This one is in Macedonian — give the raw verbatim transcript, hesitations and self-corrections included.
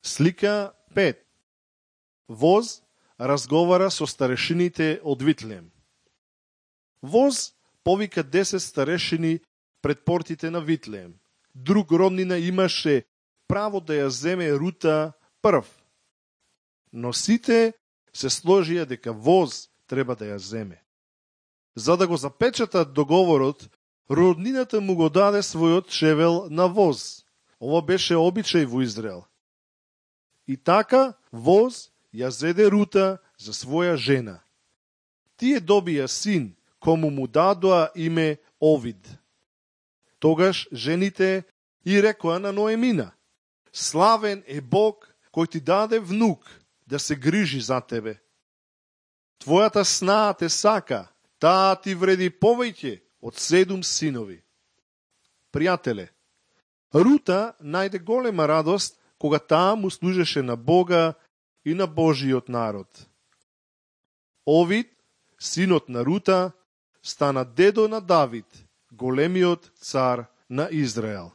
Слика пет. Воз разговара со старешините од Витлеем. Воз повика десет старешини пред портите на Витлеем. Друг роднина имаше право да ја земе Рута прв. Но сите се сложија дека Воз треба да ја земе. За да го запечатат договорот, роднината му го даде својот шевел на Воз. Ова беше обичај во Израел. И така Воз ја зеде Рута за своја жена. Тие добија син, кому му дадоа име Овид. Тогаш жените и рекоа на Ноемина: славен е Бог кој ти даде внук да се грижи за тебе. Твојата снаа те сака, таа ти вреди повеќе од седум синови. Пријателе, Рута најде голема радост кога таа му служеше на Бога и на Божиот народ. Овид, синот на Рута, стана дедо на Давид, големиот цар на Израел.